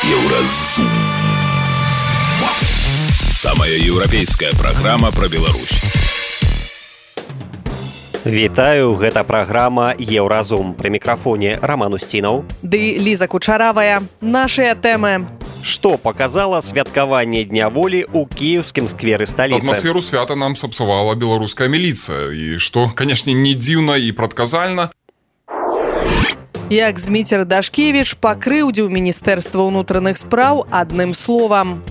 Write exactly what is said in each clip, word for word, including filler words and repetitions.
Еўразум. Самая еўрапейская праграма пра Беларусь. Вітаю, гэта праграма Еўразум. Пры мікрафоне Роман Устінаў. Ды Ліза Кучаравая. Нашыя тэмы. Што паказала святкаванне Дня волі ў кіеўскім скверы сталіцы? Атмасферу свята нам сапсавала беларуская міліцыя. І што, канешне, не дзіўна і прадказальна. Як Зміцер Дашкевіч пакрыўдзіў Міністэрства ўнутраных спраў адным словам.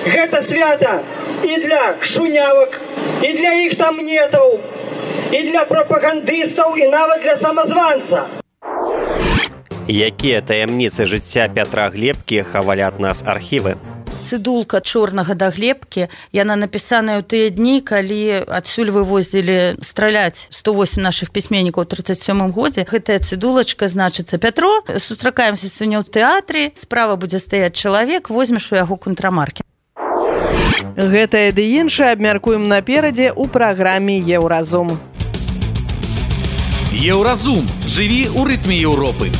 Гэта свята і для шунявак, і для іх тамнетаў, і для прапагандыстаў, і нават для самазванца. Якія таямніцы жыцця Пятра Глебкі хавалі ад нас архівы? Цыдулка чорнага да Глебкі, яна напісаная ў тыя дні, калі адсюль вывозілі страляць сто восем нашых пісьменнікаў у трыццаць сёмым годзе. Гэтая цыдулачка значыцца: Пятро, сустракаемся сёння ў тэатры, справа будзе стаяць чалавек, возьмеш у яго контрамаркі. Гэтае ды іншае абмяркуем наперадзе ў праграме Еўразум. Еўразум. Жыві ў рытме Еўропы.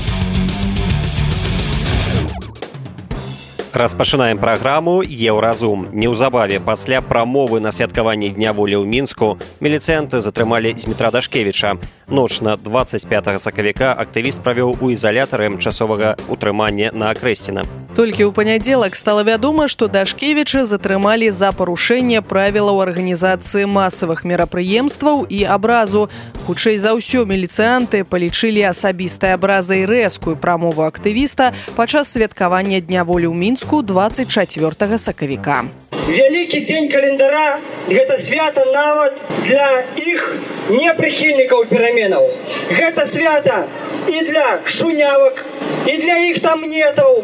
Распачынаем праграму Еўразум. Неўзабаве пасля прамовы на святкаванні Дня волі ў Мінску міліцыянты затрымалі Змітра Дашкевіча. Ноч на дваццаць пятага сакавіка актывіст правёў у ізалятары часовага утрымання на Акрэсціна. Толькі ў панядзелак стала вядома, што Дашкевіча затрымалі за парушэнне правілаў арганізацыі масавых мерапрыемстваў і абразу. Хутчэй за ўсё, міліцыянты палічылі асабістай абразай рэзкую прамову актывіста падчас святкавання Дня волі ў Мінску дваццаць чацвёртага сакавіка. Вялікі дзень календара – гэта свята нават для іх непрыхільнікаў пераменаў. Гэта свята і для шунявак, і для іх тамнетаў,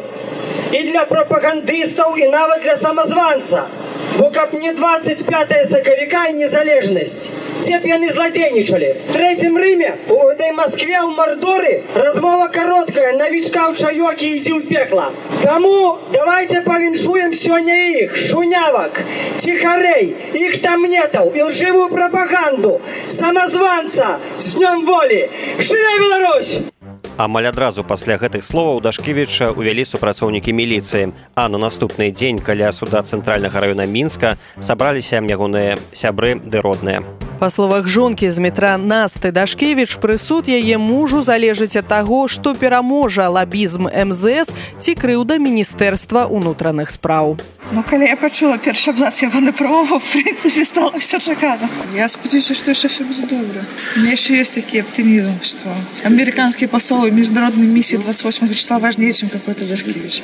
і для прапагандыстаў, і нават для самазванца. Бо каб не дваццаць пятага сакавіка і незалежнасць, дзе б яны зладзейнічалі. В трэцім Рыме, у гэтай Маскве, ў Мардоры, размова кароткая: навічка ў чаёкі, ідзі ў пекла. Таму давайте павіншуем сёння іх, шунявак, ціхарэй, іх тамнетаў, ілжывую прапаганду, самазванца з Днём волі. Жыве Беларусь! Амаль адразу пасля гэтых словаў Дашкевіча ўвялі супрацоўнікі міліцыі, а на наступны дзень каля суда цэнтральнага раёна Мінска сабраліся ягоныя сябры ды родныя. Па словах жонкі Змітра Насты Дашкевіч, прысуд яе мужу залежыць ад таго, што пераможа лабізм эм зэ эс ці крыўда Міністэрства ўнутраных спраў. Ну, калі я пачула першы абзац ягонай прамовы, в прынцыпе, стала ўсё чакана. Я спадзяюся, што яшчэ ўсё будзе добра. У меня еще есть такой оптимизм, что американские посолы в международной миссии двадцать восьмого числа важнее, чем какой-то Дашкевич.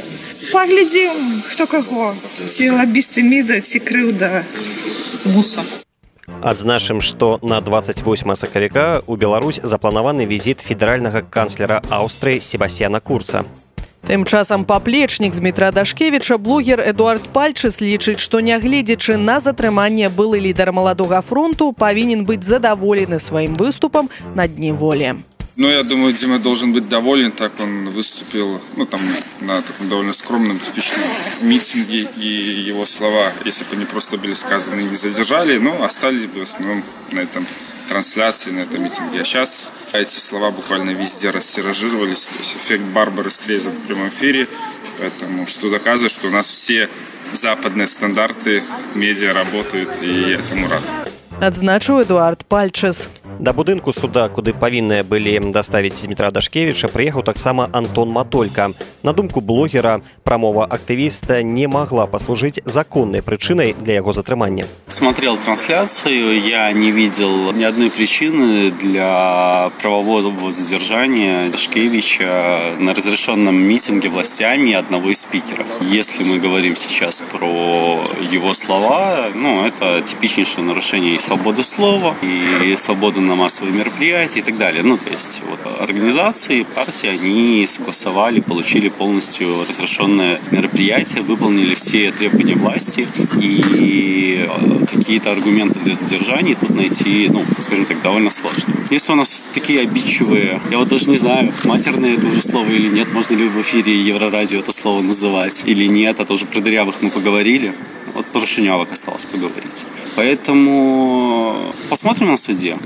Поглядим, кто кого. Ці лоббисты МИДа, ці крыўда МУСа. Адзначым, што на дваццаць восьмага сакавіка ў Беларусь запланаваны візіт федэральнага канцлера Аўстрыі Себасцьяна Курца. Тым часам паплечнік Змітра Дашкевіча, блогер Эдуард Пальчыс, лічыць, што нягледзячы на затрыманне былы лідар маладога фронту павінен быць задаволены сваім выступам на Дні волі. Ну, я думаю, Дима должен быть доволен, так он выступил, ну, там, на таком довольно скромном, типичном митинге, и его слова, если бы они просто были сказаны, не задержали, но остались бы в основном на этом трансляции, на этом митинге. А сейчас эти слова буквально везде растиражировались, то есть эффект Барбары Стрейзанд в прямом эфире, поэтому что доказывает, что у нас все западные стандарты медиа работают, и я этому рад. Адзначыў Эдуард Пальчыс. Да будынку суда, куды павінныя былі даставіць Змітра Дашкевіча, прыехаў таксама Антон Матолька. На думку блогера, прамова актывіста не могла послужить законной причиной для его затрымання. Смотрел трансляцию, я не видел ни одной причины для правового задержания Дашкевича на разрешенном митинге властями одного из спикеров. Если мы говорим сейчас про его слова, ну, это типичнейшее нарушение и свободы слова, и свободы на массовые мероприятия и так далее. Ну, то есть вот, организации, партии, они согласовали, получили полностью разрешенное мероприятие, выполнили все требования власти, и какие-то аргументы для задержания тут найти, ну, скажем так, довольно сложно. Если у нас такие обидчивые, я вот даже не знаю, матерное это уже слово или нет, можно ли в эфире Еврорадио это слово называть или нет, а то уже про дырявых мы поговорили. Вот про шунявок осталось поговорить. Поэтому посмотрим на суде.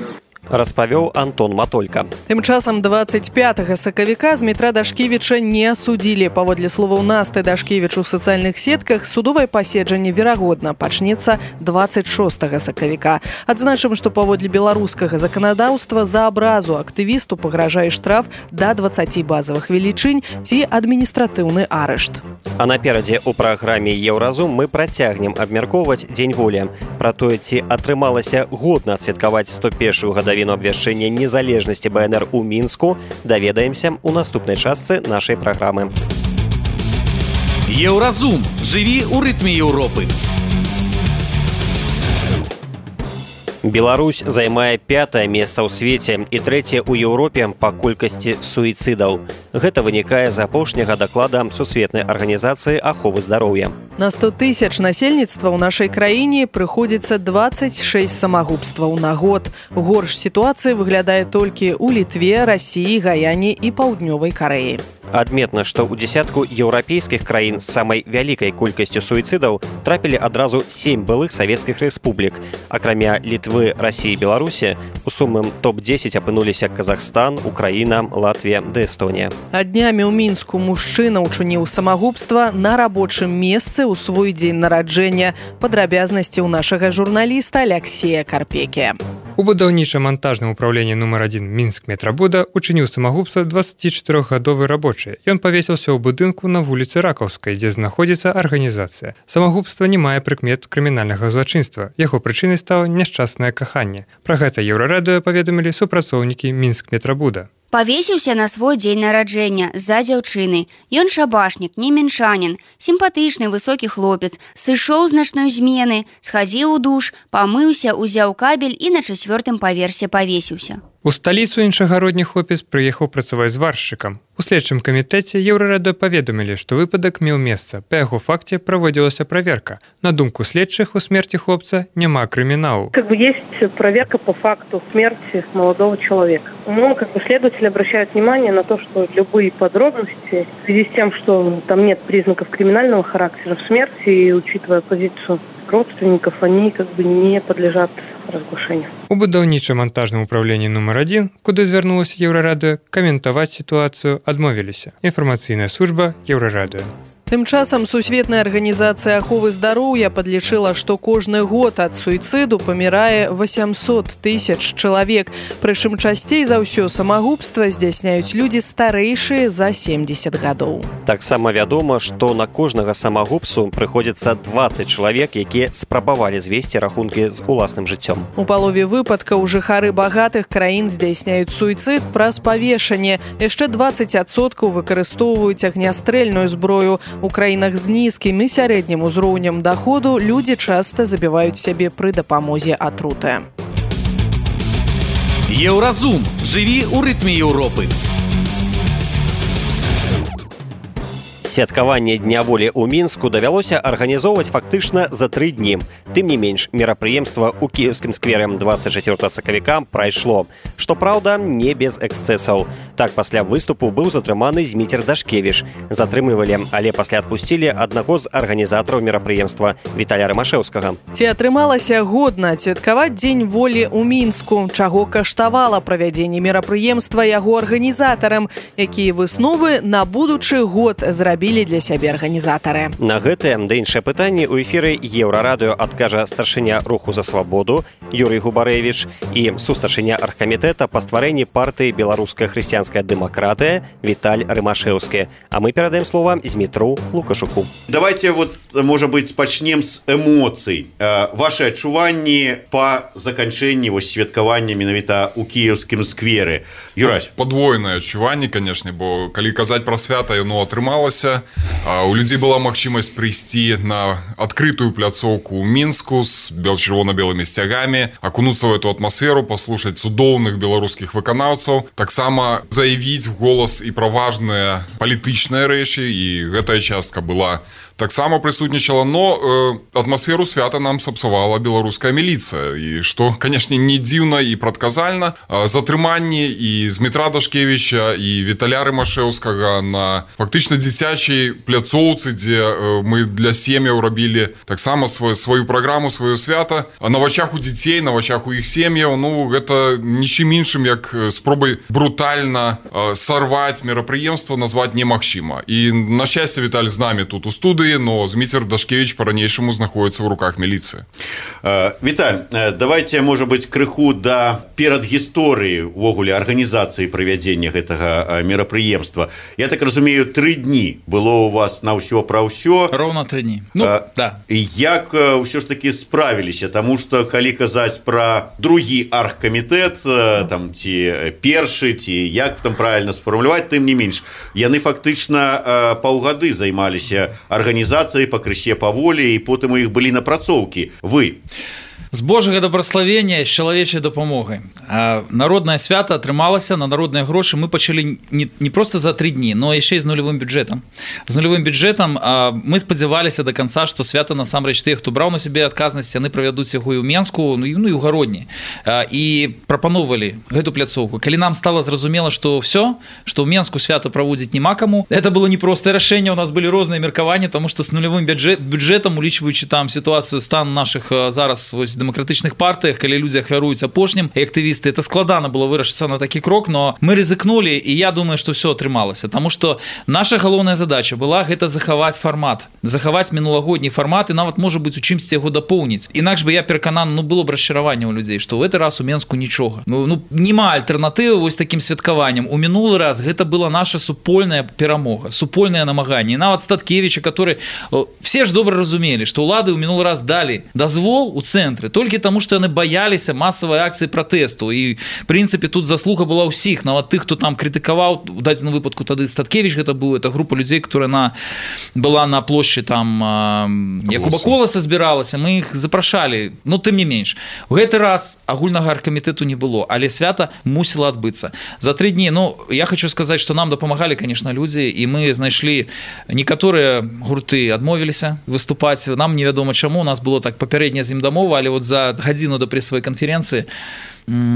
распавёў Антон Матолька. Тым часам двадцать пятага сакавіка Змітра Дашкевіча не асудзілі. Паводле словаў Насты Дашкевіч у сацыяльных сетках, судовае паседжанне верагодна пачнецца двадцать шостага сакавіка. Адзначым, што паводле беларускага заканадаўства за абразу актывісту пагражае штраф да дваццаці базавых велічынь ці адміністратыўны арышт. А наперадзе ў праграме «Еўразум» мы працягнем абмяркоўваць Дзень волі. Пра тое, ці атрымалася годна адсвяткаваць сто першую гадавіну абвяшчэння незалежнасці БНР у Мінску, даведаемся ў наступнай частцы нашай праграмы. Еўразум. Жыві ў рытме Еўропы. Беларусь займае пятае месца ў свеце і трэцяе ў Еўропе па колькасці суіцыдаў. Гэта вынікае з апошняга даклада Сусветнай арганізацыі аховы здароўя. На сто тысяч насельніцтва ў нашай краіне прыходзіцца двадцать шесть самагубстваў на год. Горш сітуацыя выглядае толькі ў Літве, Расіі, Гаяне і Паўднёвай Карэі. Адметна, што ў дзесятку еўрапейскіх краін з самай вялікай колькасцю суіцыдаў трапілі адразу сем былых савецкіх рэспублік. Акрамя Літвы, Расіі і Беларусі, у сумным топ дзесяць апынуліся Казахстан, Украіна, Латвія ды Эстонія. А днямі ў Мінску мужчына учыніў самагубства на рабочым месцы ў свой дзень нараджэння. Падрабязнасці ў нашага журналіста Аляксея Карпекі. У будаўніча-мантажным управленні нумар адзін Мінск-Метрабуда учыніў самагубства дваццацічатырохгадовы рабочы. Ён павесіўся ў будынку на вуліцы Ракаўскай, дзе знаходзіцца арганізацыя. Самагубства не мае прыкмет крымінальнага злачынства. Яго прычынай стала няшчаснае каханне. Пра гэта Еўрарадыё паведамілі супрацоўнікі Мінск-Метрабуда. Павесіўся на свой дзень нараджэння з-за дзяўчыны. Ён шабашнік, не мінчанін, сімпатычны высокі хлопец, сышоў з начной змены, схадзіў у душ, памыўся, узяў кабель і на чацвёртым паверсе павесіўся. У сталіцу іншагародні хлопец прыехаў працаваць зваршчыкам. У следчым камітэце Еўрарадыё паведамілі, што выпадак меў месца. Па яго факце праводзілася праверка. На думку следчых, у смерти хлопца няма крыміналу. Как бы есть проверка по факту смерти молодого человека. Но как бы следователи обращают внимание на то, что любые подробности в связи с тем, что там нет признаков криминального характера в смерти, и учитывая позицию родственников, они как бы не подлежат разглашению. У будаўніча-мантажным управленні нумар адзін, куды звярнулася Еўрарадыё, каментаваць сітуацыю адмовіліся. Інфармацыйная служба Еўрарадыё. Тым часам Сусветная арганізацыя аховы здароўя падлічыла, што кожны год ад суіцыду памірае восемьсот тысяч чалавек. Прычым часцей за ўсё самагубства здзяйсняюць людзі старэйшыя за семьдесят гадоў. Таксама вядома, што на кожнага самагубцу прыходзіцца двадцать чалавек, якія спрабавалі звесці рахункі з уласным жыццём. У палове выпадкаў жыхары багатых краін здзяйсняюць суіцыд праз павешанне. Яшчэ двадцать адсоткаў выкарыстоўваюць агнястрэльную зброю. У краінах з нізкім і сярэднім узроўнем даходу людзі часта забіваюць сябе пры дапамозе атруты. Еўразум. Жыві ў рытме Еўропы. Святкаванне Дня волі ў Мінску давялося арганізоўваць фактычна за тры дні. Тым не менш, мерапрыемства ў кіеўскім сквере двадцать чацвёртага сакавіка прайшло. Што праўда, не без эксцэсаў. Так, пасля выступу быў затрыманы Зміцер Дашкевіч. Затрымлівалі, але пасля адпусцілі аднаго з арганізатараў мерапрыемства Віталя Рымашэўскага. Ці атрымалася годна адсвяткаваць Дзень волі ў Мінску? Чаго каштавала правядзенне мерапрыемства яго арганізатарам? Якія высновы на будучы год зрабілі для сябе арганізатары? На гэтае ды іншыя пытанні ў эфіры Еўрарадыё адкажа старшыня руху за свабоду Юрый Губарэвіч і сустаршыня аргкамітэта па стварэнні партыі «Беларуская хрысціянская дэмакратыя» Віталь Рымашэўскі. А мы перадаем слова Змітру Лукашуку. Давайте вот, может быть, пачнем с эмоцый. Ваши адчуванні па заканчэнні вось святкавання менавіта ў кіеўскім скверы. Юрась. Падвойнае адчуванне, канешне, бо калі казаць пра свята, яно атрымалася. У людзей была магчымасць прыйсці на адкрытую пляцоўку ў Мінску з чырвона-белымі сцягамі, акунуцца в эту атмасферу, паслушаць цудоўных беларускіх выканаўцаў, таксама заявіць в голас і пра важныя палітычныя рэчы, і гэтая частка была таксама прысутнічала, но э, атмасферу свята нам сапсавала беларуская міліцыя. І што, канешне, не дзіўна і прадказальна, э, затрыманні і Змітра Дашкевіча, і Віталя Рымашэўскага на фактычна дзіцячым дзіцячай пляцоўцы, дзе мы для сем'яў рабілі таксама свою, сваю праграму, сваё свята. А на вачах у дзяцей, на вачах у іх сем'яў, ну, гэта нічым іншым, як спробай брутальна сарваць мерапрыемства, назваць немагчыма. І, на шчасце, Віталь з намі тут у студыі, но Зміцер Дашкевіч па-ранейшаму знаходзіцца ў руках міліцыі. Віталь, давайте, можа быць, крыху да перадгісторыі увогуле арганізацыі правядзення гэтага мерапрыемства. Я так разумею, тры дні было у вас на ўсё пра ўсё. Роўна тры дні. Ну, а, да. Як ўсё ж такі справіліся? Таму што, калі казаць пра другі аргкамітэт, там, ці першы, ці як там правільна сфармуляваць, тым не менш, яны фактычна паўгады займаліся арганізацыяй пакрысе паволі, і потым у іх былі напрацоўкі. Вы? З Божага дабраславення, з чалавечай дапамогай. Народнае свята атрымалася, на народныя грошы мы пачалі не, не проста за тры дні, но яшчэ і з нулявым бюджэтам. З нулявым бюджэтам мы спадзяваліся да канца, што свята насамрэч тыя, хто браў на сябе адказнасць, яны правядуць яго і ў Менску, ну і, ну, і ў Гародні. І прапановалі гэту пляцоўку. Калі нам стала зразумела, што ўсё, што ў Менску свята праводзіць няма каму, гэта было непростае рашэнне, у нас былі розныя меркаванні, таму што з нулявым бюджэт, бюджэтам, улічваючы там сітуацыю, стан нашых зараз вось дэмакратычных партыях, калі людзі ахвяруюць апошнім, і актывісты, это складана было вырашыцца на такі крок, но мы рызыкнулі, і я думаю, што ўсё атрымалася, таму што наша галоўная задача была гэта захаваць фармат, захаваць мінулагодні фармат і нават, можа быць, у чымсьці яго дапоўніць. Інакш бы я перакананы, ну, было б расчараванне ў людзей, што ў гэты раз у Менску нічога. Ну, ну няма альтэрнатывы вось такім святкаваннем. У мінулы раз гэта была наша супольная перамога, супольнае намаганне. І нават Статкевіча, который все ж добра разумелі, што ўлады ў мінулы раз далі дазвол у цэнтры толькі таму, што яны баяліся масавай акцыі пратэсту. І, в прынцыпе, тут заслуга была ўсіх, нават тых, хто там крытыкаваў, у дадзеным выпадку тады Статкевіч гэта быў, это група людзей, которая на, была на плошчы там Якуба Коласа збіралася, мы іх запрашалі, но тым не менш. У гэты раз агульнага аргкамітэту не было, але свята мусіла адбыцца. За тры дні, ну, я хочу сказаць, што нам дапамагалі, конечно, людзі, і мы знайшлі, некаторыя гурты адмовіліся выступаць, нам невядома чаму, у нас было так папярэдняя з ім дамова, але вот за гадзіну да прэсавай канферэнцыі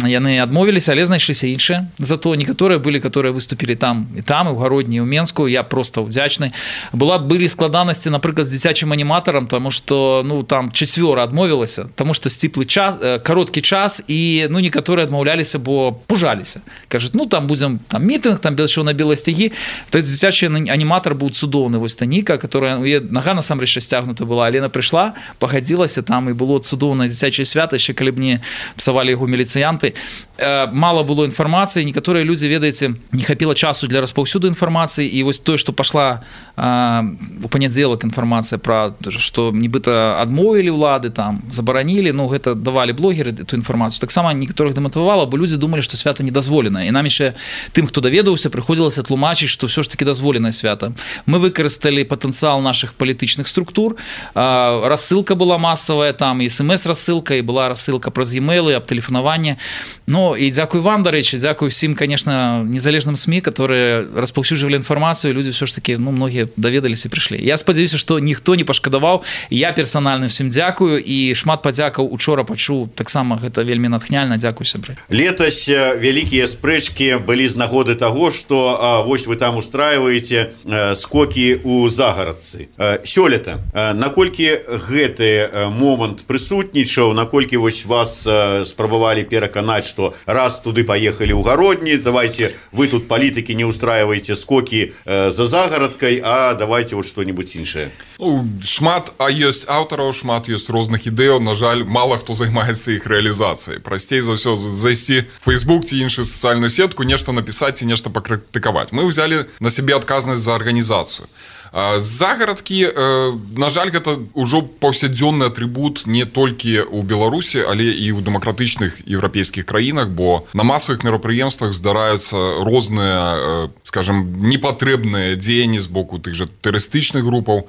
яны адмовіліся, але знайшліся іншыя. Зато некаторыя былі, которые выступілі там і там, і ў Гародні, і ў Менску. Я просто ўдзячны. Была былі складанасці, напрыклад, з дзіцячым аніматарам, таму што, ну, там чацвёра адмовілася, таму што сціплы час, кароткі час, і, ну, некаторыя адмаўляліся, бо пужаліся. Кажуць, ну, там будзем там мітынг, там чырвона-белыя сцягі. Той дзіцячы аніматар быў цудоўны, вось Таніка, которая, ну, нага насамрэч расцягнута была, але яна прыйшла, пагадзілася, там і было цудоўнае дзіцячае свята, яшчэ калі б не псавалі яго міліцыянты. Мало было інфармацыі, некаторыя людзі, ведаеце, не хапіла часу для распаўсюду інфармацыі, і вось тое, што пашла у панядзелак інфармацыя пра, што нібыта адмовілі ўлады, там забаранілі, ну, гэта давалі блогеры эту інфармацыю. Таксама некаторых дэматывавала, бо людзі думалі, што свята недазволена. І нам яшчэ тым, хто даведаўся, прыходзілася тлумачыць, што ўсё ж такі дазволенае свята. Мы выкарысталі патэнцыял нашых палітычных структур. Рассылка была масавая, там і смс-рассылка, і была рассылка праз e-mail, аб тэлефанаванне. Ну, і дзякуй вам, дарэчы, дзякуй всім, конечно, незалежным СМІ, которые распаўсюджвалі інфармацыю, людзі ўсё ж такі, ну, многія даведаліся і прыйшлі. Я спадзяюся, што ніхто не пашкадаваў. Я персанальна всім дзякую, і шмат падзякаў учора пачуў, таксама гэта вельмі натхняльна. Дзякуй, сябры. Летась вялікія спрэчкі былі з нагоды таго, што вось вы там устраиваеце скокі ў загарадцы. Сёлета, наколькі гэты момант прысутнічаў, наколькі вось вас спрабавалі пераканаць, што раз туды паехалі ў Гародні, давайте вы тут палітыкі не устраиваеце скокі э, за загарадкай, а давайте вот что-нибудь іншае. Ну, шмат, а ёсць аўтараў, шмат ёсць розных ідэяў, на жаль, мала хто займаецца іх рэалізацыяй. Прасцей за ўсё зайсці в Facebook ці іншую сацыяльную сетку, нешта напісаць і нешта пакрытыкаваць. Мы ўзялі на сябе адказнасць за арганізацыю. Загарадкі, на жаль, гэта ўжо паўсядзённы атрыбут не толькі ў Беларусі, але і ў дэмакратычных еўрапейскіх краінах, бо на масавых мерапрыемствах здараюцца розныя, скажем, непатрэбныя дзеянні з боку тых жа тэрарыстычных групаў.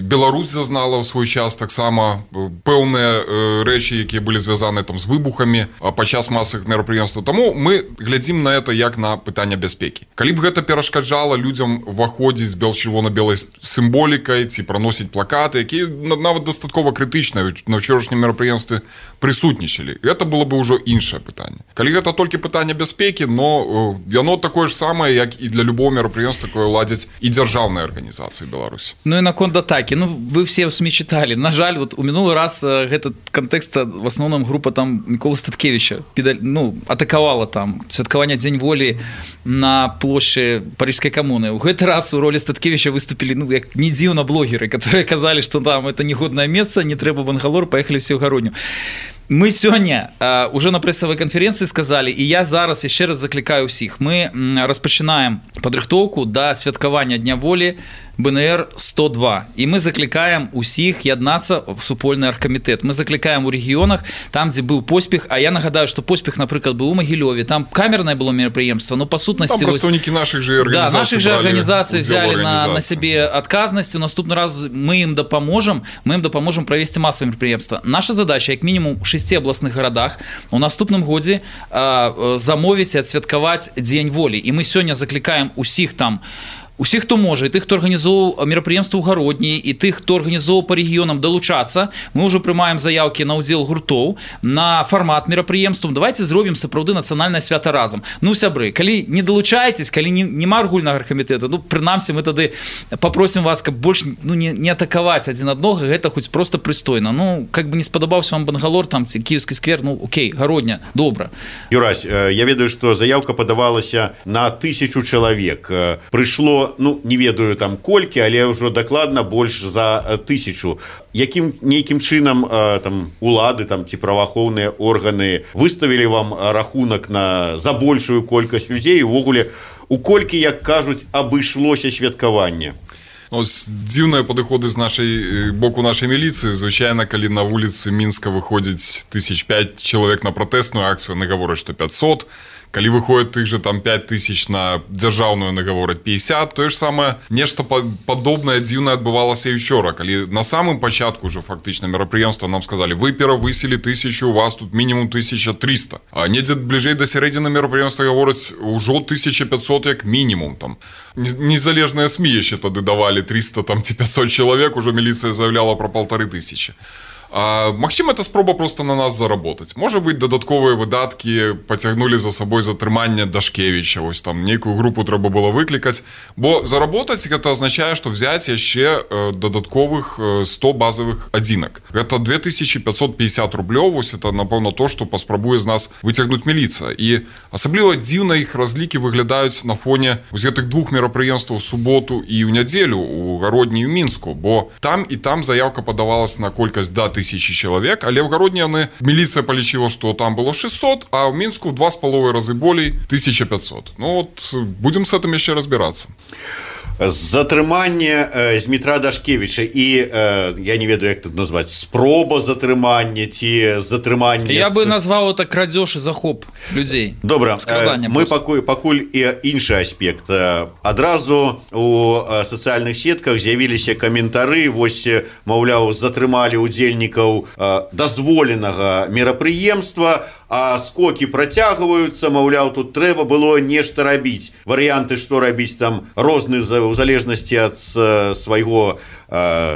Беларусь зазнала ў свой час таксама пэўныя рэчы, якія былі звязаны там з выбухамі падчас масавых мерапрыемстваў. Таму мы глядзім на это як на пытанне бяспекі. Калі б гэта перашкаджала людзям уваходзіць з бел-чырвона-белай нейкай сімволікай ці праносіць плакаты, якія нават дастаткова крытычныя на ўчорашнім мерапрыемстве прысутнічалі. Гэта было бы ўжо іншае пытанне. Калі гэта толькі пытанне бяспекі, но яно такое ж самае, як і для любого мерапрыемства, якое ладзяць і дзяржаўныя арганізацыі Беларусі. Ну і наконт атакі. Ну вы все СМИ читали. На жаль, вот у мінулы раз этот контекст в основном группа там Миколы Статкевича ну, атаковала там святкаванне Дзень волі на площади Парижской коммуны. У гэты раз у роли Статкевича выступили, ну, як не дзіўна блогеры, которые казали, что там это негодное место, не трэба Бангалор, поехали все в Гародню. Мы сёння э, уже на прэсавай канферэнцыі сказалі, і я зараз яшчэ раз заклікаю ўсіх. Мы распачынаем падрыхтоўку да святкавання Дня волі бэ эн эр сто два. І мы заклікаем усіх яднацца в супольны аргкамітэт. Мы заклікаем у рэгіёнах, там, дзе быў поспех, а я нагадаю, што поспех, напрыклад, быў у Магілёве, там камернае было мерапрыемства, но па сутнасці... Там прадстаўнікі нашых жа арганізацый, да, наших же арганізацый взяли на, на сябе адказнасць. У наступны раз мы ім дапаможам, мы ім дапаможам правесці масавае мерапрыемства. Наша задача, як мінімум, у шасці абласных гарадах у наступным годзе э, замовіць і адсвяткаваць Дзень волі. І мы сёння заклікаем усіх там, усіх, хто можа, і тых, хто арганізоўваў мерапрыемства ў Гародні, і тых, хто арганізоўваў па рэгіёнам, далучацца. Мы ўжо прымаем заявкі на ўдзел гуртоў, на фармат мерапрыемстваў. Давайте зробім сапраўды нацыянальнае свята разам. Ну, сябры, калі не далучаецесь, калі не, нема аргульнага аргкамітэта, ну, прынамсі, мы тады попросім вас, каб больш ну, не, не атакаваць адзін аднога, гэта хоць проста прыстойна. Ну, как бы не спадабаўся вам Бангалор, там, ці Кіевскі сквер, ну, окей, Гародня, добра. Юрась, я ведаю, што заявка падавалася на тысячу чалавек. Прыйшло, ну, не ведаю там колькі, але ўжо дакладна больш за тысячу. Якім нейкім чынам там улады там ці праваахоўныя органы выставілі вам рахунак на за большую колькасць людзей, увогуле у колькі, як кажуць, абышлося святкаванне? Ось дзіўныя падыходы з нашай боку нашай міліцыі. Звычайна, калі на вуліцы Мінска выходзіць тысяч пяць чалавек на пратэсную акцыю, яны гавораць, што пятьсот. Калі выходит тых же там пять тысяч на дзяржаўную, нагавораць пятьдесят, тое ж самае нешта падобнае дзіўнае адбывалася і учора, калі на самым пачатку уже фактычна мерапрыемства нам сказали, вы перавысілі тысячу, у вас тут мінімум тысяча триста, а недзе бліжэй да сярэдзіны мерапрыемства гавораць ўжо тысяча пятьсот як мінімум там. Незалежныя СМИ яшчэ тады давалі триста там ці пятьсот чалавек, ужо міліцыя заявляла про полторы тысячи. А, магчыма, это спроба просто на нас заработать. Можа быть, дадатковыя выдаткі пацягнулі за сабой затрыманне Дашкевіча. Ось там нейкую групу трэба было выклікаць. Бо заработаць гэта азначае, што взять яшчэ э, дадатковых э, сто базовых адзінак. Гэта две тысячи пятьсот пятьдесят рублёў. Вось это, напэўна, то, што паспрабуе з нас выцягнуць міліцыя. І асабліва дзіўна іх разлікі выглядаюць на фоне вось гэтых двух мерапрыемстваў у суботу і ў нядзелю у Гародні і ў Мінску. Бо там і там заявка падавалась на колькасць да тысячи человек, але в Гародні яны милиция полічила, что там было шестьсот, а в Мінску в два с половиной разы болей тысяча пятьсот. Ну вот, будем с этим еще разбираться. Затрыманне э, Змітра Дашкевіча і э, я не ведаю, як тут назваць, спроба затрымання ці затрымання. Я бы назваў это крадзеж і захоп людзей. Добра, э, мы пакуль, пакуль і іншы аспект. Адразу у сацыяльных сетках з'явіліся каментары, вось, маўляў, затрымалі удзельнікаў э, дазволенага мерапрыемства, а скокі працягваюцца, маўляў, тут трэба было нешта рабіць. Варыянты, што рабіць там розныя у залежнасці ад свайго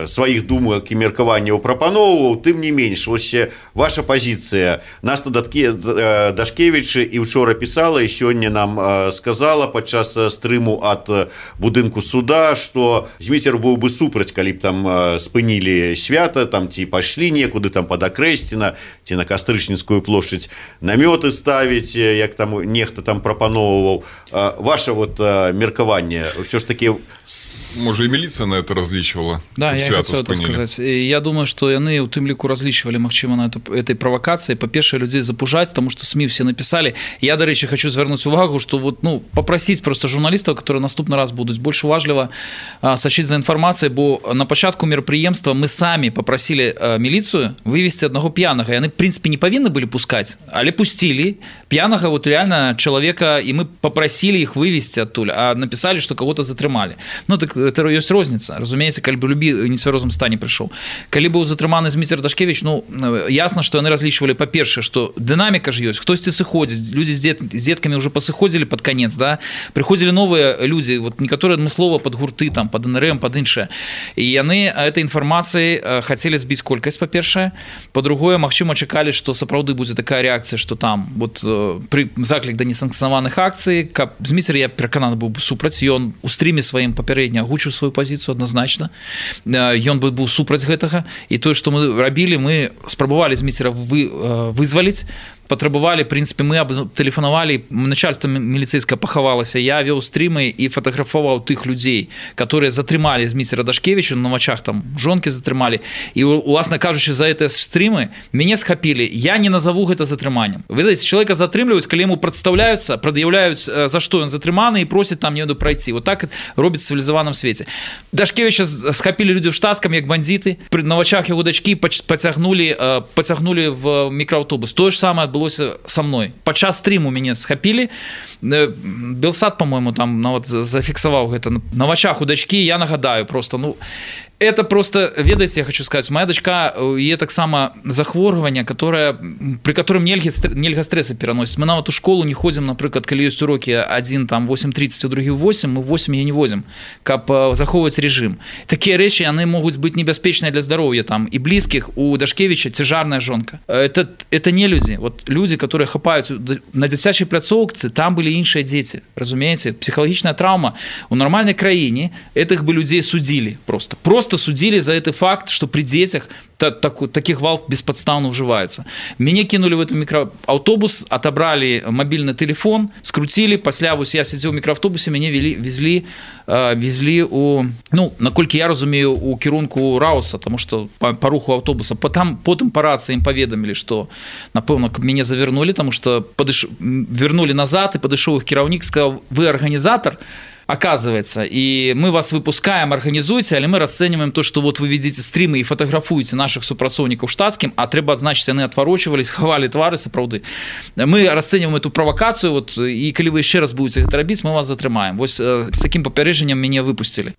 сваіх думак і меркаванняў прапановаў, тым не менш. Вось ваша пазіцыя. Наста Дашкевіч і учора пісала, і сёння нам сказала падчас стрыму ад будынку суда, што Зміцер быў бы супраць, калі б там спынілі свята, там ці пайшлі некуды там пад Акрэсціна ці на Кастрычніцкую плошчадь намёты ставіць, як там нехта там прапановваў. Ваше вот меркаванне ўсё ж такі... Можа, і міліцыя на это разлічвала? Да, я хотел это сказать. Я думаю, что яны у тым ліку разлічвалі, магчыма, на эту, этой провокации. По-першае, людей запужать, потому что СМИ все написали. Я, до речі, хочу звернуть увагу, что вот, ну, попросить просто журналистов, которые наступный раз будут больше уважливо а, сочить за информацией, бо на початку мероприемства мы сами попросили а, милицию вывести одного пьяного, и они, в принципе, не повинны были пускать, але пустили пьяного, вот реально человека, и мы попросили их вывести оттуда, а написали, что кого-то затрымали. Ну, так это есть розница. Разумеется, калі бы любі нецвярозым стане прыйшоў. Калі быў затрыманы Зміцер Дашкевіч, ну ясна, што яны разлічвалі, па-першае, што дынаміка ж ёсць, хтосьці сыходзіць, людзі з, дзет, з дзеткамі ўжо пасыходзілі пад канец, да? Прыходзілі новыя людзі, вот некаторыя адмыслова пад гурты, там, пад эн эр эм, пад іншае. І яны этой інфармацыяй хацелі збіць колькасць, па-першае. Па-другое, магчыма, чакалі, што сапраўды будзе такая рэакцыя, што там вот, пры заклік да несанкцыянаваных акцый, каб Зміцер, я перакананы быў бы супраць, ён у стріме сваім папярэдне агучыў сваю пазіцыю адназначна. Ён бы быў супраць гэтага. І тое, што мы рабілі, мы спрабавалі Зміцера вы, вызваліць, патрабавалі, в прынцыпе, мы тэлефанавалі, начальство міліцэйскае пахавалася, я вёў стрімы і фатаграфаваў тых людзей, которые затрымалі Зміцера Дашкевіча, на вачах там жонкі затрымалі. І, уласна кажучы, за гэтыя стрімы мяне схапілі. Я не назову гэта затрыманнем. Вы знаете, чалавека затрымліваюць, калі яму прадстаўляюцца, прад'яўляюць, за што ён затрыманы, і просяць там не прайці. Вот так робіць в цывілізаваным свеце. Дашкевіча схапілі людзі ў штатскам, як бандзіты, на вачах яго дачкі пацягнулі, пацягнулі в мікрааўтобус. Тое ж самае адбылося са мной. Падчас стріму мяне схапілі. Белсад, по-моему, там нават зафіксаваў гэта. На вачах у дачкі, я нагадаю просто, ну, это просто, ведаеце, я хочу сказать, моя дочка, є таксама захворванне, которое, при котором нельга, нельга стресы пераносіць. Мы нават у школу не ходзім, напрыклад, калі ёсць урокі адзін там восемь тридцать, у другі восемь, мы восемь я не возім, каб захоўваць рэжым. Такія рэчы, яны могуць быць небяспечныя для здароўя там і блізкіх. У Дашкевіча цяжарная жонка. Это, это не людзі. Вот людзі, которые хапаюць на дзіцячай пляцоўцы, там былі іншыя дзеці. Разумееце? Псіхалагічная траўма. У нармальнай краіне этих бы людзей судзілі просто. Просто Просто судили за этот факт, что при детях та, так, таких гвалт бесподставно уживается. Меня кинули в этот микроавтобус, отобрали мобильный телефон, скрутили, после я сидел в микроавтобусе, меня вели, везли, э, везли у, ну, наколькі я разумею, у кірунку Рауса, потому что по, по руху автобуса. Потом, потом по рации им поведомили, что, напевно, меня завернули, потому что подыш... вернули назад, и подошел их кіраўнік, сказал, вы организатор, оказывается, и мы вас выпускаем, организуйте, але мы расцениваем то, что вот вы ведите стримы и фотографуете наших супрацоўнікаў штатскім, а трэба адзначыць, яны отворочивались, хавали твары сапраўды. Мы расцениваем эту провокацию, вот, и калі вы еще раз будете гэта рабіць, мы вас затрымаем. Вось с таким папярэджаннем мяне выпустили.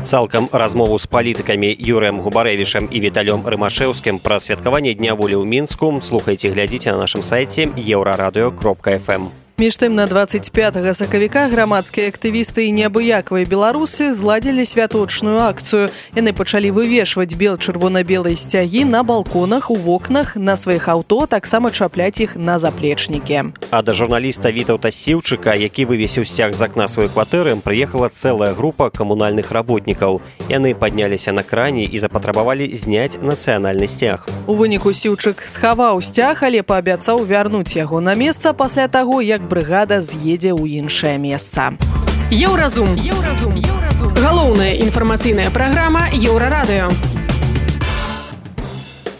Цалкам размову з палітыкамі Юрыем Губарэвічам і Віталём Рымашэўскім пра святкаванне Дня волі ў Мінску слухайце, глядзіце на нашым сайце еўрарадыё кропка эф эм. Між тым, на двадцать пятага сакавіка грамадскія актывісты і неабыякавыя беларусы зладзілі святочную акцыю. Яны пачалі вывешваць бел-чырвона-белыя сцягі на балконах, у вокнах, на сваіх аўто, таксама чапляць іх на заплечнікі. А да журналіста Вітаўта Сіўчыка, які вывесіў сцяг з акна сваёй кватэры, прыехала цэлая група камунальных работнікаў. Яны падняліся на кране і запатрабавалі зняць нацыянальны сцяг. У выніку Сіўчык схаваў сцяг, але паабяцаў вярнуць яго на месца пасля таго, як брыгада з'едзе ў іншае месца. Еўразум. Еўразум. Еўразум. Галоўная інфармацыйная праграма Еўрарадыё.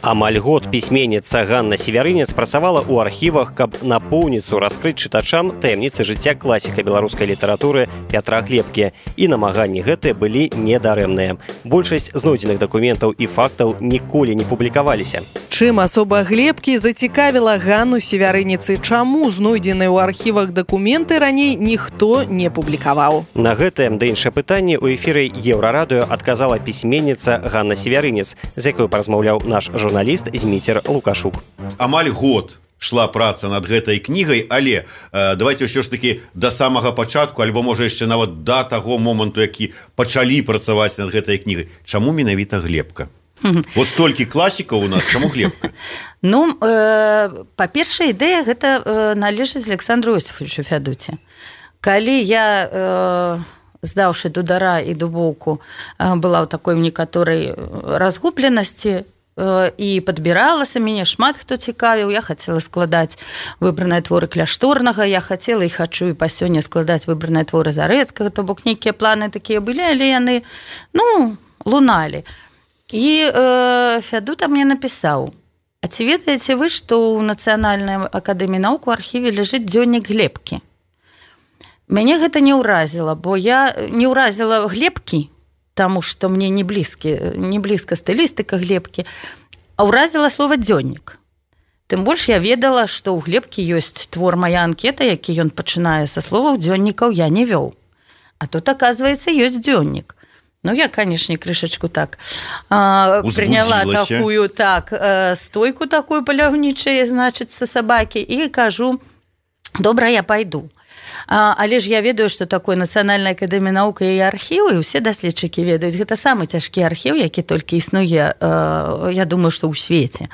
Амаль год пісьменніца Ганна Севярынец працавала ў архівах, каб напоўніцу раскрыць чытачам таямніцы жыцця класіка беларускай літаратуры Пятра Глебкі. І намаганні гэтыя былі недарэмныя. Большасць знойдзеных дакументаў і фактаў ніколі не публікаваліся. Чым асоба Глебкі зацікавіла Ганну Севярыніцы? Чаму знойдзеныя ў архівах дакументы раней ніхто не публікаваў? На гэтае да іншае пытанне ў эфіры Еўрарадыё адказала пісьменніца Ганна Севярынец, з якой паразмаўляў наш журналіст журналіст Зміцер Лукашук. Амаль год шла праца над гэтай кнігай, але э, давайте ўсё ж таки да самага пачатку, альбо можа яшчэ нават да таго моманту, які пачалі працаваць над гэтай кнігай. Чаму менавіта Глебка? Вот столькі класікаў у нас, чаму Глебка? Ну, э, па-першае, ідэя гэта э, належыць Александру Осіфовичу Фядуце. Калі я... Э, здаўшы дудара і дубоўку, была ў такой некаторай разгубленасці, і падбіралася, мяне шмат хто цікавіў, я хацела складаць выбраныя творы Кляшторнага, я хацела і хачу і па сёння складаць выбраныя творы Зарэцкага, то бок нейкія планы такія былі, але яны, ну, луналі. І э, Фядута мне напісаў: а ці ведаеце вы, што ў Нацыянальнай акадэміі навук у архіве ляжыць дзённік Глебкі? Мяне гэта не ўразіла, бо я не ўразіла Глебкі, таму што мне не блізкі, не блізка стылістыка Глебкі, а ўразіла слова дзённік. Тым больш я ведала, што ў Глебкі ёсць твор «Мая анкета», які ён пачынае са словаў дзённікаў я не вёў. А тут, аказваецца, ёсць дзённік. Ну, я, конечно, крышечку так а, приняла такую, так, э, стойку такую паляўнічую, значит, со собаки, и кажу, добра, я пойду. А, але ж я ведаю, што такое Нацыянальная акадэмія навук і архівы, усе даследчыкі ведаюць, гэта самы цяжкі архіў, які толькі існуе, э, я думаю, што ў свеце.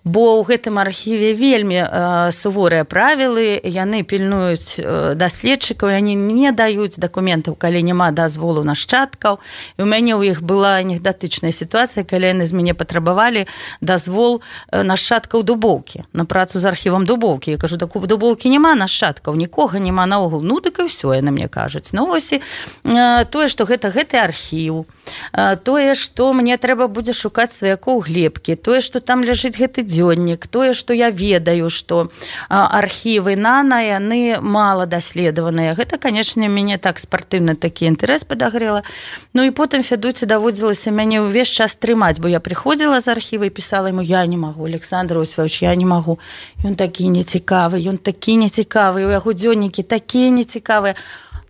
Бо ў гэтым архіве вельмі э, суворыя правілы, яны пільнуюць э, даследчыкаў, яны не даюць дакументаў, калі няма дазволу нашчадкаў. І ў мяне ў іх была анекдатычная сітуацыя, калі яны з мяне патрабавалі дазвол э, нашчадкаў Дубоўкі, на працу з архівам Дубоўкі. Я кажу, так у Дубоўкі няма нашчадкаў, нікога няма наогул. Ну, дык і ўсё, яны мне кажуць. Ну, вось і э, тое, што гэта гэты архіў, э, тое, што мне трэба будзе шукаць сваякоў Глебкі, тое, што там ляжыць гэты дзённік, тое, што я ведаю, што архівы нана, яны мала даследаваныя. Гэта, канечне, мяне так спартыўна такі інтарэс падагрэла. Ну і потым Фядуці даводзілася мяне ўвесь час трымаць, бо я прыходзіла з архіва і пісала яму, я не магу, Александр Освович, я не магу. Ён такі нецікавы, ён такі нецікавы, у яго дзённікі такія нецікавыя.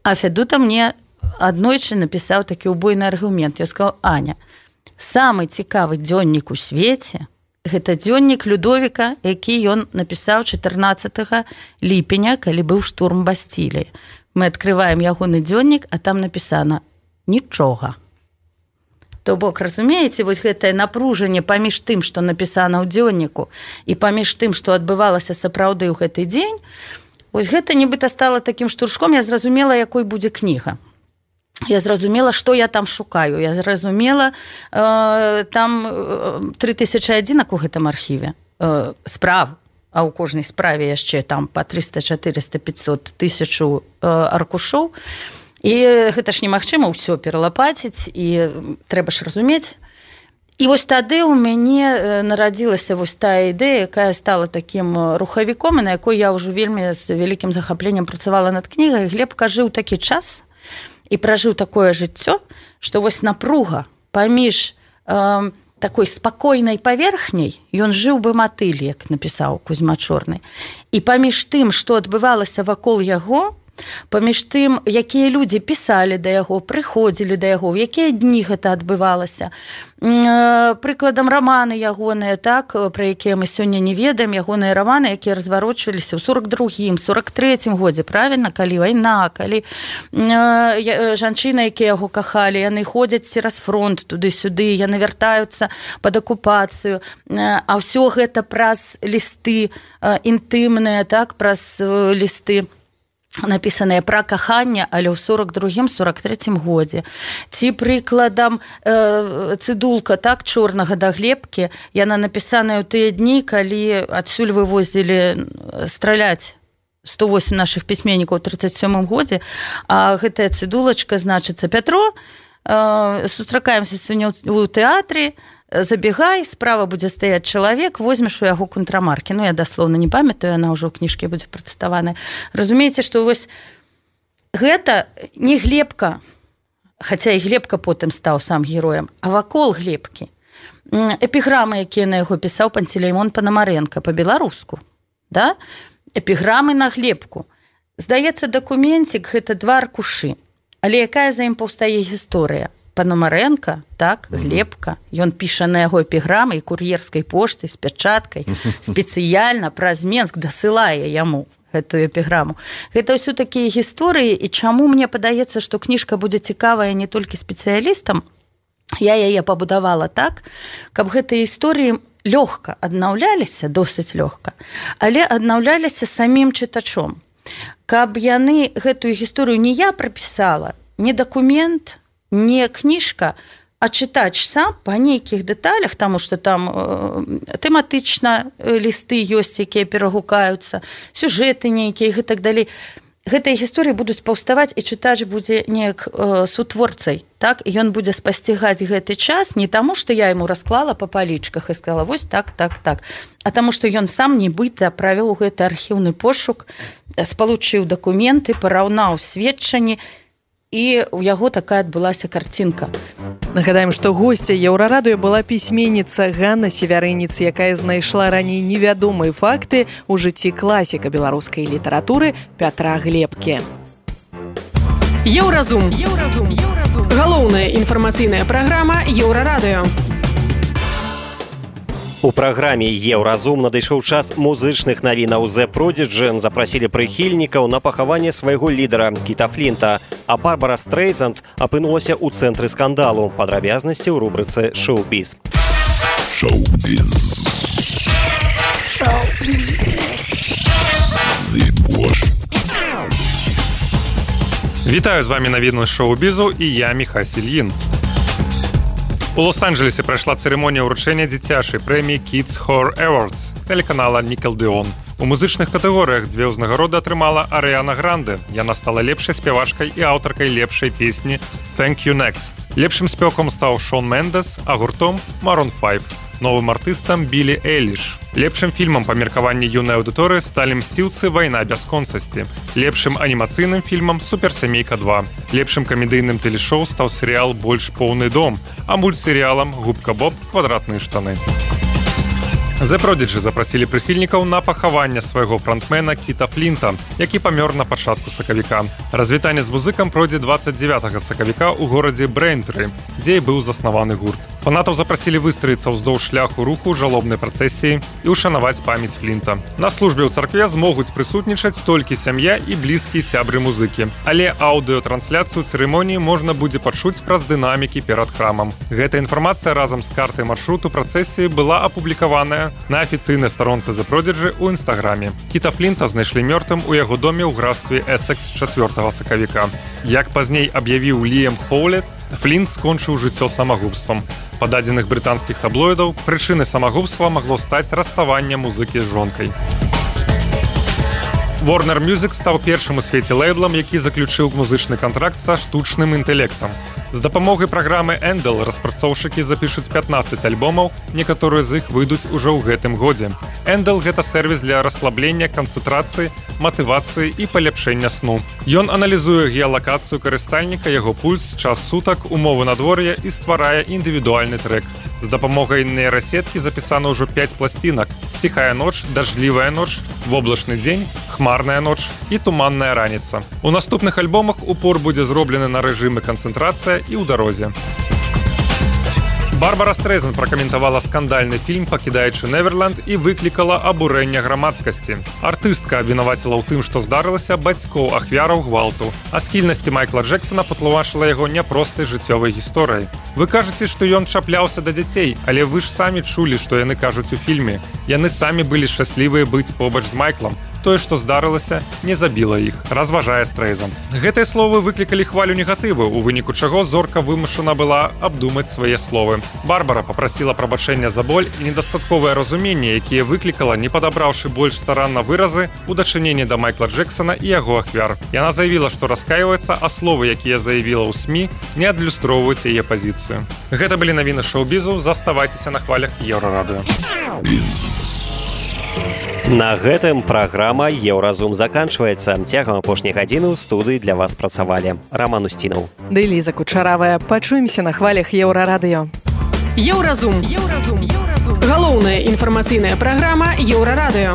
А Фядута мне аднойчы напісаў такі убойны аргумент. Я сказала, Аня, самы цікавы дзённік у свеце гэта дзённік Людовіка, які ён напісаў чатырнаццатага ліпеня, калі быў штурм Бастіліі. Мы адкрываем ягоны дзённік, а там напісана нічога. То бок, разумееце, вось гэтае напружанне паміж тым, што напісана ў дзённіку, і паміж тым, што адбывалася сапраўды ў гэты дзень, вось гэта нібыта стала такім штуршком, я зразумела, якой будзе кніга. Я зразумела, што я там шукаю. Я зразумела, э, там тры тысячы адзінак у гэтым архіве э, справ, а ў кожнай справе яшчэ там па трыста, чатырыста, пятьсот тысячу э, аркушоў. І гэта ж немагчыма ўсё пералапаціць, і трэба ж разумець. І вось тады ў мяне нарадзілася вось тая ідэя, якая стала такім рухавіком, і на якой я ўжо вельмі з вялікім захапленнем працавала над кнігай. Глебка жыў такі час, і пражыў такое жыццё, што вось напруга паміж э, такой спакойнай паверхняй, ён жыў бы матыль, як напісаў Кузьма Чорны. І паміж тым, што адбывалася вакол яго, паміж тым, якія людзі пісалі да яго, прыходзілі да яго, в якія дні гэта адбывалася. Прыкладам раманы ягоныя, так, пра якія мы сёння не ведаем, ягоныя раманы, якія разварочваліся ў сорок другім, сорок трэцім годзе, правільна, калі вайна, калі жанчыны, якія яго кахалі, яны ходзяць цераз фронт туды-сюды, яны вяртаюцца пад акупацыю, а ўсё гэта праз лісты інтымныя, так, праз лісты напісаныя пра каханне, але ў сорок другім сорок трэцім годзе. Ці прыкладам э, цыдулка, так, чорнага да Глебкі, яна напісаная ў тыя дні, калі адсюль вывозілі страляць сто восемь нашых пісьменнікаў у тридцать сёмым годзе, а гэтая цыдулачка значыцца Пятро, э, сустракаемся сёння ў тэатры, забегай, справа будзе стаяць чалавек, возьмеш у яго контрамаркі. Ну, я даслоўна не памятаю, яна ўжо ў кніжкі будзе працытаваная. Разумееце, што вось гэта не Глебка, хаця і Глебка потым стаў сам героем, а вакол Глебкі. Эпіграмы, якія на яго пісаў Пантелеймон Панамаренка па-беларуску. Да? Эпіграмы на Глебку. Здаецца, дакументик гэта два аркушы. Але якая за ім паўстае гісторыя? Панамаренка, так, Глебка, ён піша на яго эпіграмы і кур'ерскай поштай з пячаткай, спецыяльна праз Менск дасылае яму гэтую эпіграму. Гэта ўсё такія гісторыі, і чаму мне падаецца, што кніжка будзе цікавая не толькі спецыялістам, я яе пабудавала так, каб гэтыя гісторыі лёгка аднаўляліся, досыць лёгка, але аднаўляліся самім чытачом. Каб яны гэтую гісторыю не я прапісала, не дакумент, не кніжка, а чытач сам па нейкіх дэталях, таму што там э, тэматычна лісты ёсць, якія перагукаюцца, сюжэты нейкія і так далей. Гэтыя гісторыі будуць паўставаць, і чытач будзе неяк э, сутворцай, так? І ён будзе спасцігаць гэты час не таму, што я яму расклала па палічках і сказала, вось так, так, так, а таму, што ён сам нібыта правёў гэты архіўны пошук, спалучыў дакументы, параўнаў сведчанні, і у яго такая адбылася карцінка. Нагадаем, што госця Еўрарадыё была пісьменніца Ганна Севярыніц, якая знайшла раней невядомыя факты ў жыцці класіка беларускай літаратуры Пятра Глебкі. Еўразум. Еўразум. Еўразум. Галоўная інфармацыйная праграма Еўрарадыё. У праграме «Еўразум» надышоў час музычных навінаў. The Prodigy запрасілі прыхільнікаў на пахаванне свайго лідара Кіта Флінта, а Барбара Стрейзанд апынулася ў цэнтры скандалу. Падрабязнасці ў рубрыцы «Шоу-біз». Шоу-біз. Вітаю, з вами навіны шоу-бізу і я Міхась Ільін. У Лос-Анджелесе прайшла цырымонія ўручэння дзіцячай прэміі Kids Horror Awards тэлеканала Nickelodeon. У музычных катэгорыях дзве ўзнагароды атрымала Арыяна Гранде. Яна стала лепшай спявачкай і аўтаркай лепшай песні «Thank You Next». Лепшым спеваком стаў Шон Мендес, а гуртом Maroon пяць. Новым артыстам Білі Эйліш. Лепшым фільмам па меркаванні юнай аўдыторыі сталі «Мсціўцы. Вайна бясконцасці». Лепшым анімацыйным фільмам «Суперсямейка два». Лепшым камедыйным тэлешоу стаў серыял «Больш поўны дом», а мультсерыялам «Губка Боб. Квадратныя штаны». The Prodigy запрасілі прыхільнікаў на пахаванне свайго фронтмена Кіта Флінта, які памёр на пачатку сакавіка. Развітанне з музыкам пройдзе дваццаць дзевятага сакавіка ў горадзе Брейнтры, дзе і быў заснаваны гурт. Фанатаў запрасілі выстраіцца ўздоўж шляху руху жалобнай працэсіі і ўшанаваць памяць Флінта. На службе ў царкве змогуць прысутнічаць толькі сям'я і блізкія сябры музыкі. Але аўдыётрансляцыю цырымоніі можна будзе пачуць праз дынамікі перад храмам. Гэта інфармацыя разам з картай маршруту працэсіі была апублікаваная на афіцыйнай старонцы The Prodigy ў інстаграме. Кіта Флінта знайшлі мёртвым у яго доме ў графстве Эссекс чацвёртага сакавіка. Як пазней аб'явіў Ліам Хоулет, Флінт скончыў жыццё самагубствам. Па дадзеных брытанскіх таблоідаў, прычынай самагубства магло стаць раставанне музыкі з жонкай. Warner Music стаў першым у свеце лейблам, які заключыў музычны кантракт са штучным інтэлектам. З дапамогай праграмы Endel распрацоўшчыкі запішуць пятнаццаць альбомаў, некаторыя з іх выйдуць ужо ў гэтым годзе. Endel – гэта сервіс для расслаблення, канцэнтрацыі, матывацыі і паляпшэння сну. Ён аналізуе геалакацыю карыстальніка, яго пульс, час сутак, умовы надвор'я і стварае індывідуальны трэк. З дапамогай нейрасеткі запісана ўжо пяць пласцінак: «Ціхая ноч», «Дажджлівая ноч», «Воблачны дзень», «Хмарная ноч» і «Туманная раніца». У наступных альбомах упор будзе зроблены на рэжымы канцэнтрацыя і ў дарозе. Барбара Стрейзанд пракаментавала скандальны фільм «Пакідаючы Неверленд» і выклікала абурэнне грамадскасці. Артыстка абвінаваціла ў тым, што здарылася бацькоў ахвяраў гвалту, а схільнасці Майкла Джексона патлумачыла яго няпростай жыццёвай гісторыяй. Вы кажаце, што ён чапляўся да дзяцей, але вы ж самі чулі, што яны кажуць у фільме. Яны самі былі шчаслівыя быць побач з Майклам. Тое, што здарылася, не забіла іх, разважае Стрейзанд. Гэтыя словы выклікалі хвалю негатыву, у выніку чаго зорка вымушана была абдумаць свае словы. Барбара папрасіла прабачэння за боль і недастатковае разуменне, якія выклікала, не падабраўшы больш старанна выразы у дачыненні да Майкла Джексона і яго ахвяр. Яна заявіла, што раскайваецца, а словы, якія заявіла ў СМІ, не адлюстроўваюць яе пазіцыю. Гэта былі навіны шоу-бізу, заставайцеся на хвалях Еўрарадыё. На гэтым праграма «Еўразум» заканчваецца. Цягам апошняй гадзіны ў студыі для вас працавалі Раман Усцінаў. Ды Ліза Кучаравая. Пачуемся на хвалях Еўрарадыё. Еўразум. Еўразум. Галоўная інфармацыйная праграма Еўрарадыё.